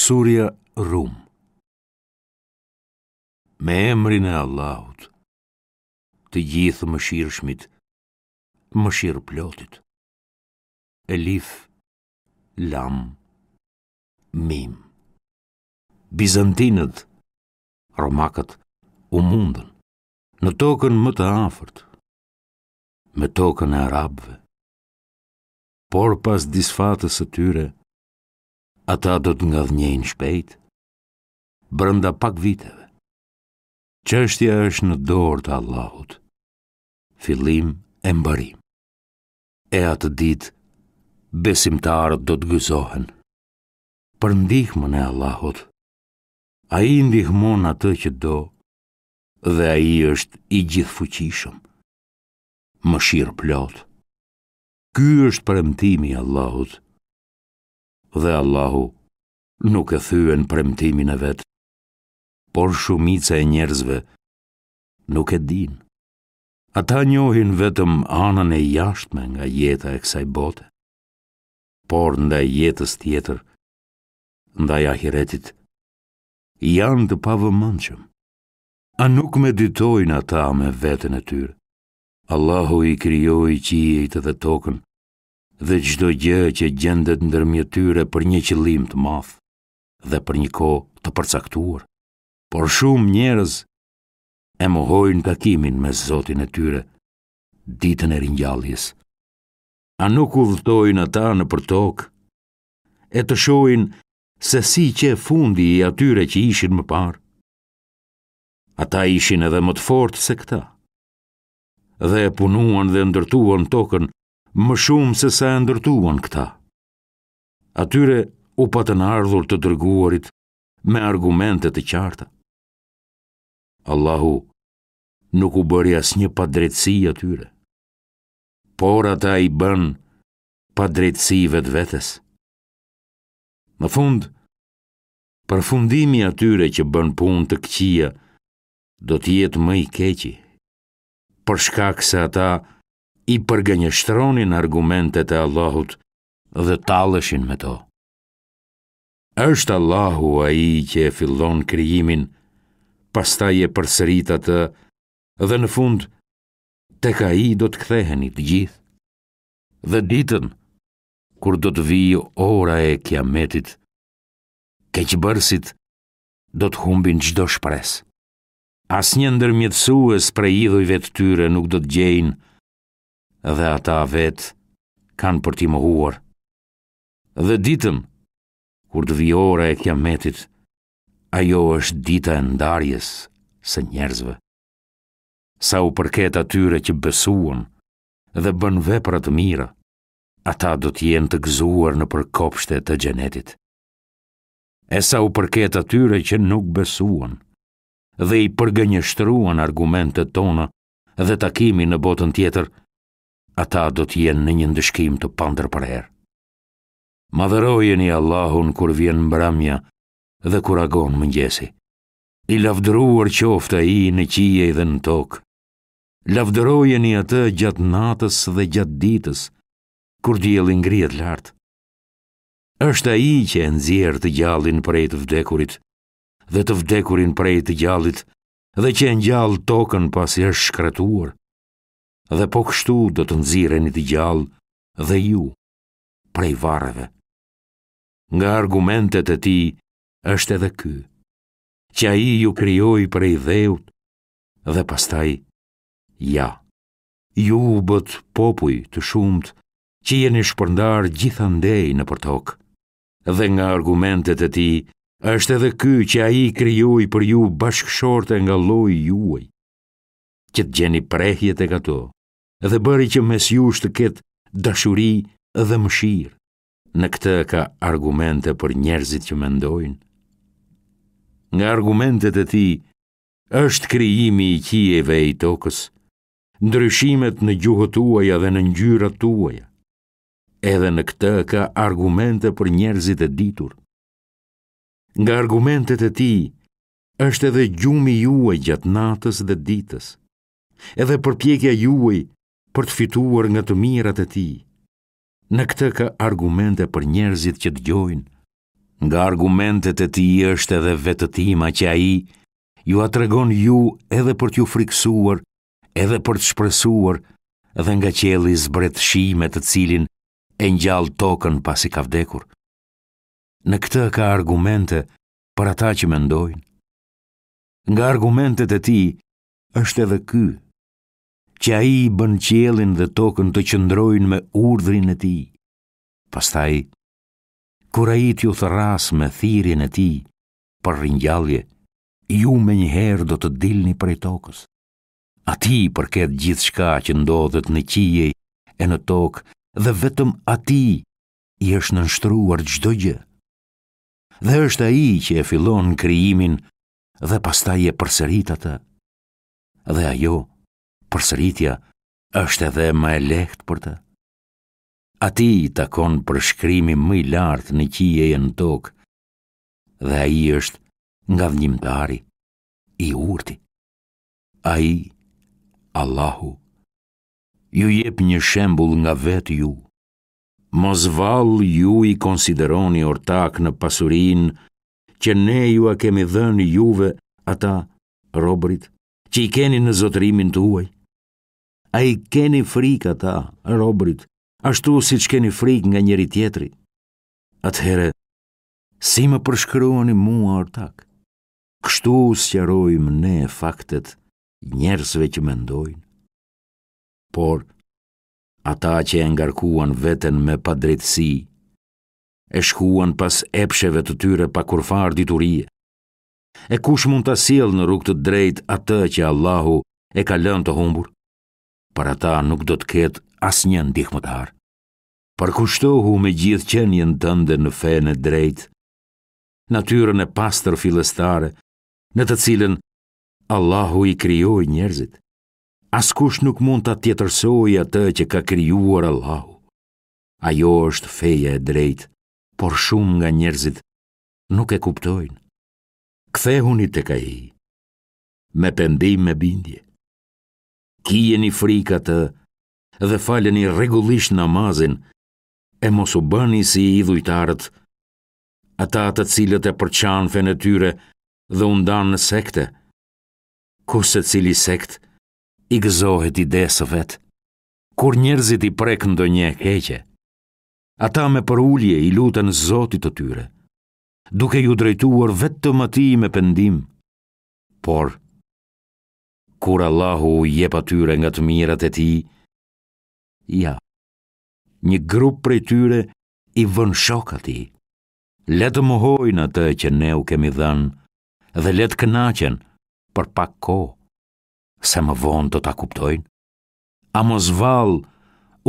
Surja Rum Me emrin e Allahut, të Gjithëmëshirshmit, mëshirëplotit. Elif, Lam, Mim. Bizantinët, romakët, u mundën në tokën më të afërt, me tokën e arabëve. Por pas disfatës së tyre, ata do të ngadhënjejnë shpejt, brenda pak viteve. Çështja është në dorë të Allahut, fillim e mbarim. E atë ditë, besimtarët do të gëzohen. Për ndihmën e Allahut, ai ndihmon atë që do dhe ai është i gjithëfuqishëm, mëshirëplotë. Ky është premtimi i Allahut dhe Allahu nuk e thyen premtimin e vet, por shumica e njerëzve nuk e dinë. Ata njohin vetëm anën e jashtme nga jeta e kësaj bote, por ndaj jetës tjetër, ndaj ahiretit, janë të pavëmendshëm. A nuk meditojnë ata me veten e tyre? Allahu i krijoi qiejt dhe tokën dhe çdo gjë që gjendet ndërmjet tyre për një qëllim të madh dhe për një kohë të përcaktuar. Por shumë njerëz e mohojnë takimin me Zotin e tyre ditën e ringjalljes. A nuk udhëtojnë ata nëpër tokë e të shohin se si qe fundi i atyre që ishin më parë? Ata ishin edhe më të fortë se këta. Dhe e punuan dhe ndërtuan tokën më shumë se sa e ndërtuan këta. Atyre u patën ardhur të dërguarit me argumente të qarta. Allahu nuk u bëri asnjë padrejtësi atyre, por ata i bënë padrejtësi vetvetes. Në fund, përfundimi i atyre që bënë punë të këqija do të jetë më i keqi, për shkak se ata i përgënjeshtronin argumentet e Allahut dhe talleshin me to. Është Allahu ai që e fillon krijimin, pastaj e përsërit atë dhe në fund tek ai do të ktheheni të gjithë. Dhe ditën kur do të vijë ora e Kiametit, keqbërësit do të humbin çdo shpresë. Asnjë ndërmjetësues prej idhujve të tyre nuk do të gjejnë dhe ata vetë kanë për t'i mohuar. Dhe ditën, kur të vijë ora e Kiametit, ajo është dita e ndarjes së njerëzve. Sa u përket atyre që besuan dhe bënë vepra të mira, ata do të jenë të gëzuar nëpër kopshte të xhenetit. E sa u përket atyre që nuk besuan dhe i përgënjeshtruan argumentet tona dhe takimin në botën tjetër, ata do të jenë në një ndëshkim të pandërprerë. Madhërojeni Allahun kur vjen mbrëmja dhe kur agon mëngjesi. I lavdëruar qoftë ai në qiej dhe në tokë. Lavdërojeni atë gjatë natës dhe gjatë ditës, kur dielli ngrihet lart. Është ai që e nxjerr të gjallin prej të vdekurit dhe të vdekurin prej të gjallit dhe që e ngjall tokën pasi është shkretuar. Dhe po kështu do të nxirreni të gjallë dhe ju prej varreve. Nga argumentet e tij është edhe ky, që ai ju krijoi prej dheut dhe pastaj, ja, ju u bëtë popuj të shumtë që jeni shpërndarë gjithandej nëpër tokë. Dhe nga argumentet e tij është edhe ky që ai krijoi për ju bashkëshorte nga lloji juaj, që të gjeni prehje tek ato, dhe bëri që mes jush të ketë dashuri dhe mëshirë. Në këtë ka argumente për njerëzit që mendojnë. Nga argumentet e tij është krijimi i qiejve e i tokës, ndryshimet në gjuhët tuaja dhe në ngjyrat tuaja. Edhe në këtë ka argumente për njerëzit e ditur. Nga argumentet e tij është edhe gjumi juaj gjatë natës dhe ditës, edhe përpjekja juaj për të fituar nga të mirat e tij. Në këtë ka argumente për njerëzit që dëgjojnë. Nga argumentet e tij është edhe vetëtima që ai jua tregon ju edhe për t'ju frikësuar, edhe për të shpresuar dhe nga qielli zbret shi me të cilin e ngjall tokën pasi ka vdekur. Në këtë ka argumente për ata që mendojnë. Nga argumentet e tij është edhe ky, që ai i bën qiellin dhe tokën të qëndrojnë me urdhrin e tij. Pastaj, kur ai t'ju thërrasë me thirrjen e tij për ringjallje, ju menjëherë do të dilni prej tokës. Atij i përket gjithçka që ndodhet në qiej e në tokë dhe vetëm atij i është nënshtruar çdo gjë. Dhe është ai që e fillon krijimin dhe pastaj e përsërit atë. Dhe ajo, përsëritja, është edhe më e lehtë për të. Atij i takon përshkrimi më i lartë në qiej e në tokë, dhe ai është ngadhënjimtari, i urti. Ai, Allahu, ju jep një shembull nga vetë ju. Mos vallë ju i konsideroni ortakë në pasurinë që ne jua kemi dhënë juve ata, robërit, që i keni në zotërimin tuaj? A i keni frikë ata, robërit, ashtu siç keni frikë nga njëri-tjetri? Atëherë, si më përshkruani mua ortak? Kështu u sqarojmë ne faktet njerëzve që mendojnë. Por, ata që e ngarkuan veten me padrejtësi, e shkuan pas epsheve të tyre pa kurrfarë diturie. E kush mund ta sjellë në rrugë të drejtë atë që Allahu e ka lënë të humbur? Për ata nuk do të ketë asnjë ndihmëtar. Përkushtohu me gjithë qenien tënde në fenë e drejtë, natyrën e pastër fillestare, në të cilën Allahu i krijoi njerëzit. Askush nuk mund ta tjetërsojë atë që ka krijuar Allahu. Ajo është feja e drejtë, por shumë nga njerëzit nuk e kuptojnë. Kthehuni tek ai me pendim e bindje. Kijeni frikë atë dhe faleni rregullisht namazin e mos u bëni si idhujtarët, ata të cilët e përçanë fenë e tyre dhe u ndanë në sekte, ku secili sekt i gëzohet idesë së vet. Kur njerëzit i prek ndonjë e keqe, ata me përulje i luten Zotit të tyre, duke iu drejtuar vetëm atij me pendim. Por, kur Allahu u jep atyre nga të mirat e tij, ja, një grup prej tyre i vënë shok atij. Le të mohojnë atë që ne u kemi dhënë dhe le të kënaqen për pak kohë, se më vonë do ta kuptojnë. A mos vallë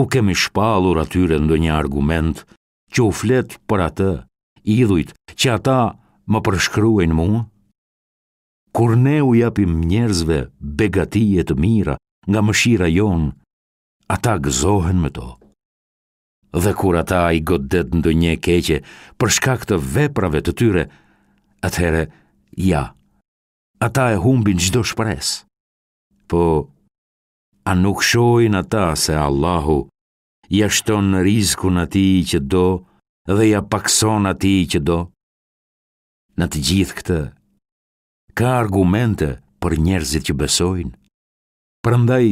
u kemi shpallur atyre ndonjë argument që u flet për atë, idhujt që ata më përshkruajnë mua? Kur ne u japim njerëzve begati e të mira nga mëshira jonë, ata gëzohen me to. Dhe kur ata i godet ndonjë e keqe për shkak të veprave të tyre, atëherë, ja, ata e humbin çdo shpresë. Po, a nuk shohin ata se Allahu ia shton rizkun atij që do dhe ia pakëson atij që do? Në të gjithë këtë, ka argumente për njerëzit që besojnë. Prandaj,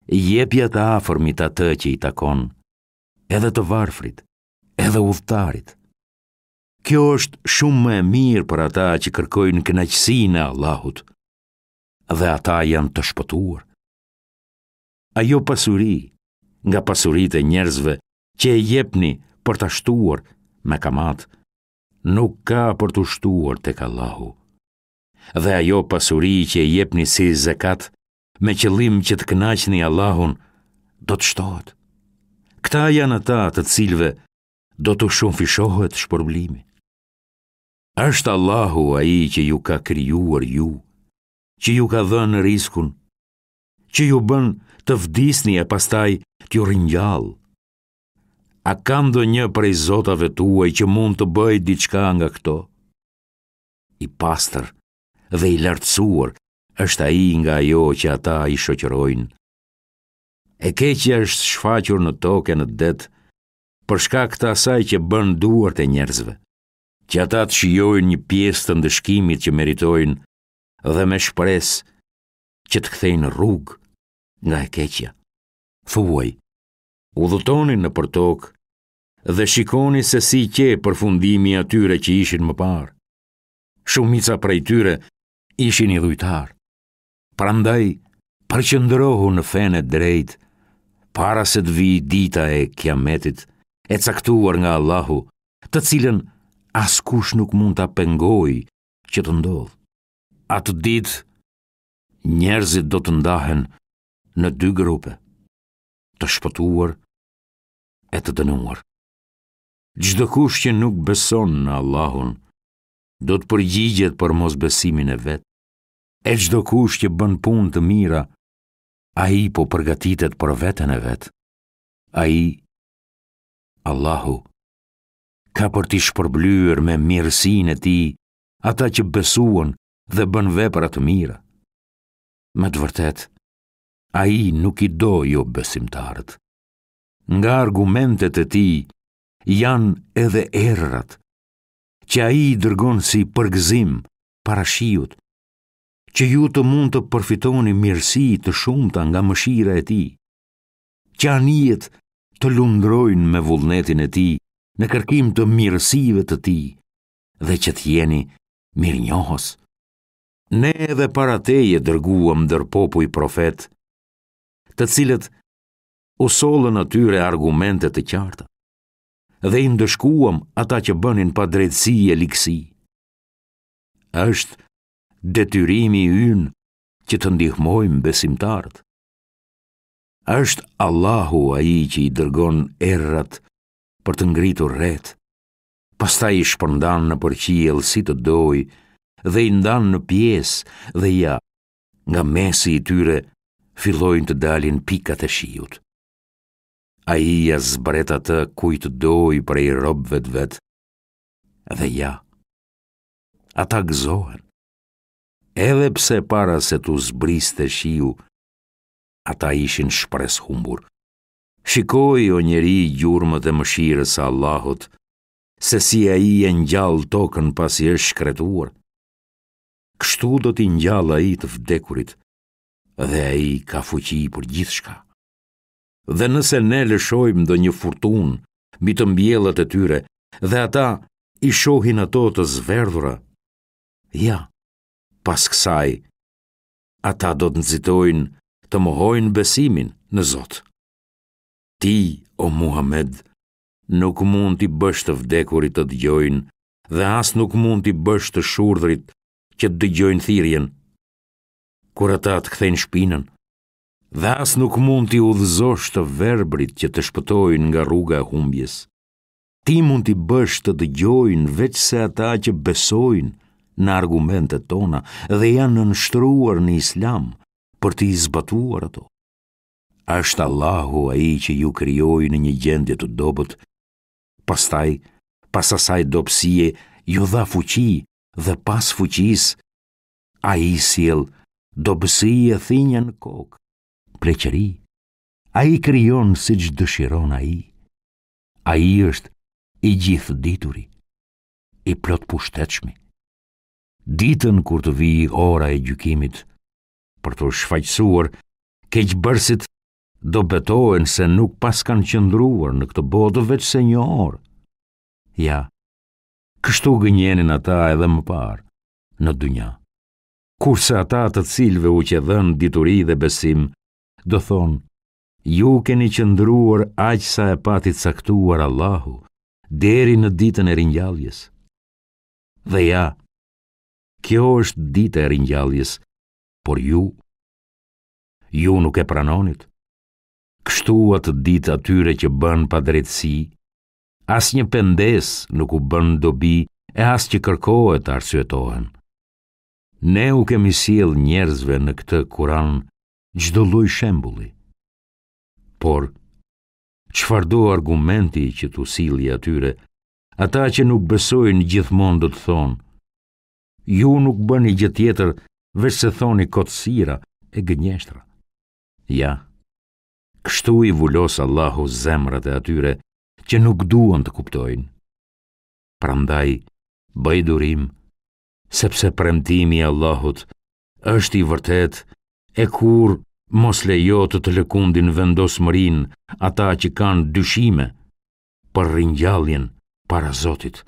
jepja të afërmit atë që i takon, edhe të varfrit, edhe udhëtarit. Kjo është shumë më e mirë për ata që kërkojnë kënaqësinë e Allahut, dhe ata janë të shpëtuar. Ajo pasuri, nga pasuritë e njerëzve që e jepni për ta shtuar me kamatë, nuk ka për t'u shtuar tek Allahu. Dhe ajo pasuri që e jepni si zekat, me qëllim që të kënaqni Allahun, do të shtohet. Këta janë ata të cilëve do t'u shumëfishohet shpërblimi. Është Allahu ai që ju ka krijuar ju, që ju ka dhënë rizkun, që ju bën të vdisni e pastaj t'ju ringjallë. A ka ndonjë prej zotave tuaj që mund të bëjë diçka nga këto? I pastër dhe i lartësuar është ai nga ajo që ata i shoqërojnë. E keqja është shfaqur në tokë e në det, për shkak të asaj që bënë duart e njerëzve. Që ata të shijojnë një pjesë të ndëshkimit që meritojnë dhe me shpresë që të kthejnë rrugë nga e keqja. Thuaj, udhëtoni nëpër tokë dhe shikoni se si qe përfundimi i atyre që ishin më parë. Shumica prej tyre ishin idhujtarë. Prandaj, përqendrohu në fenë e drejtë, para se të vijë dita e kiametit, e caktuar nga Allahu, të cilën askush nuk mund ta pengojë që të ndodhë. Atë ditë, njerëzit do të ndahen në dy grupe, të shpëtuar e të dënuar. Çdokush që nuk beson në Allahun, do të përgjigjet për mosbesimin e vet. E çdokush që bën punë të mira, ai po përgatitet për veten e vet. Ai, Allahu, ka për t'i shpërblyer me mirësinë e tij ata që besuan dhe bënë vepra të mira. Me të vërtetë, ai nuk i do jobesimtarët. Nga argumentet e tij janë edhe erërat, që ai i dërgon si përgëzim para shiut, që ju të mund të përfitoni mirësi të shumta nga mëshira e tij, që anijet të lundrojnë me vullnetin e tij në kërkim të mirësive të tij dhe që të jeni mirënjohës. Ne edhe para teje dërguam ndër popuj profetë, të cilët u sollën atyre argumente të qarta dhe i ndëshkuam ata që bënin padrejtësi e ligësi. Është detyrimi ynë që të ndihmojmë besimtarët. Është Allahu ai që i dërgon erërat për të ngritur retë, pastaj i shpërndan nëpër qiell si të dojë dhe i ndan në pjesë dhe ja, nga mesi i tyre fillojnë të dalin pikat e shiut. Ai ia zbret atë kujt të dojë prej robëve të vet dhe ja, ata gëzohen. Edhe pse para se t'u zbriste shiu, ata ishin shpresëhumbur. Shikoji o njeri gjurmët e mëshirës së Allahut, se si ai e ngjall tokën pasi është shkretuar. Kështu do t'i ngjallë ai të vdekurit dhe ai ka fuqi për gjithçka. Dhe nëse ne lëshojmë ndonjë furtunë mbi të mbjellat e tyre dhe ata i shohin ato të zverdhura, ja, pas kësaj, ata do të nxitojnë të mohojnë besimin në Zot. Ti, o Muhammed, nuk mund t'i bësh të vdekurit të dëgjojnë dhe as nuk mund t'i bësh të shurdhrit që të dëgjojnë thirrjen, kur ata të kthejnë shpinën, dhe as nuk mund t'i udhëzosh të verbrit që të shpëtojnë nga rruga e humbjes. Ti mund t'i bësh të dëgjojnë veçse ata që besojnë në argumentet tona dhe janë nënshtruar në islam për t'i zbatuar ato. Është Allahu ai që ju krijoi në një gjendje të dobët, pastaj, pas asaj dobësie, ju dha fuqi dhe pas fuqisë, ai sjell dobësi e thinja në kokë, pleqëri. Ai krijon siç dëshiron ai. Ai është i gjithëdituri, i plotpushtetshmi. Ditën kur të vijë ora e gjykimit, për t'u shfajësuar, keqbërësit do betohen se nuk paskan qëndruar në këtë botë veçse një orë. Ja, kështu gënjenin ata edhe më parë, në dynja. Kurse ata të cilëve u qe dhënë dituri dhe besim, do thonë, ju keni qëndruar aq sa e pati caktuar Allahu, deri në ditën e ringjalljes. Dhe ja, kjo është dita e ringjalljes, por ju, ju nuk e pranonit. Kështu atë ditë atyre që bënë padrejtësi, Asnjë pendesë nuk u bën dobi e as që kërkohet të arsyetohen. Ne u kemi sjellë njerëzve në këtë Kuran çdo lloj shembulli. Por, çfarëdo argumenti që t'u sillje atyre, ata që nuk besojnë gjithmonë do të thonë, ju nuk bëni gjë tjetër veçse thoni kotësira e gënjeshtra. Ja, Kështu i vulos Allahu zemrat e atyre që nuk duan të kuptojnë. Prandaj, Bëj durim, sepse premtimi i Allahut është i vërtetë e kurrë mos lejo të të lëkundin vendosmërinë ata që kanë dyshime për ringjalljen para Zotit.